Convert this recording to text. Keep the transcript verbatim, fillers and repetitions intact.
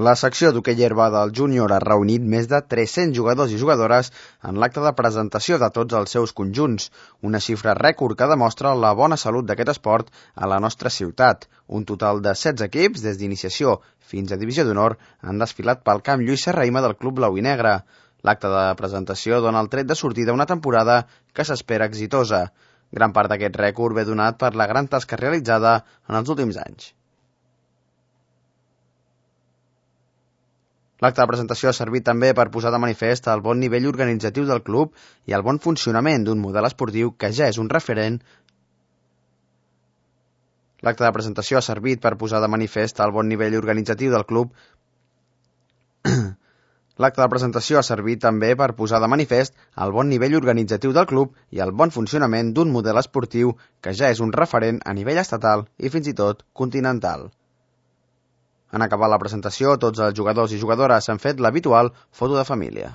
La secció d'hoquei herba del júnior ha reunit més de tres-cents jugadors i jugadores en l'acte de presentació de tots els seus conjunts, una xifra rècord que demostra la bona salut d'aquest esport a la nostra ciutat. Un total de setze equips, des d'iniciació fins a divisió d'honor, han desfilat pel camp Lluís Serrahima del Club Blau i Negre. L'acte de presentació dona el tret de sortida a una temporada que s'espera exitosa. Gran part d'aquest rècord ve donat per la gran tasca realitzada en els últims anys. L'acte de presentació ha servit també per posar de manifest el bon nivell organitzatiu del club i el bon funcionament d'un model esportiu que ja és un referent. L'acte de presentació ha servit per posar de manifest el bon nivell organitzatiu del club. L'acte de presentació ha servit també per posar de manifest el bon nivell organitzatiu del club i el bon funcionament d'un model esportiu que ja és un referent a nivell estatal i fins i tot continental. En acabar la presentació, tots els jugadors i jugadores han fet l'habitual foto de família.